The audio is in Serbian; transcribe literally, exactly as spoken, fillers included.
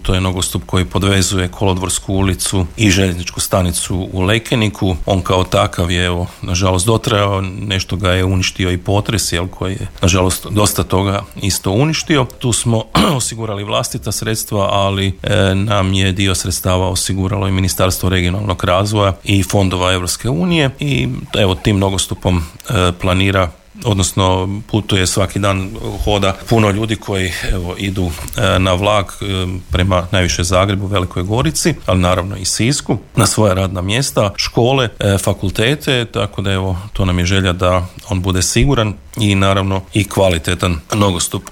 to je nogostup koji podvezuje Kolodvorsku ulicu i željezničku stanicu u Lekeniku. On kao takav je, evo, nažalost dotrajao, nešto ga je uništio i potres, jel, koji je, nažalost, dosta toga isto uništio. Tu smo osigurali vlastita sredstva, ali e, nam je dio sredstava osiguralo i Ministarstvo regionalnog razvoja i fondova Europske unije i evo tim nogostupom e, planira, odnosno putuje svaki dan, hoda puno ljudi koji evo idu e, na vlak e, prema najviše Zagrebu, Velikoj Gorici, ali naravno i Sisku, na svoja radna mjesta, škole, e, fakultete, tako da evo to nam je želja da on bude siguran i naravno i kvalitetan nogostup.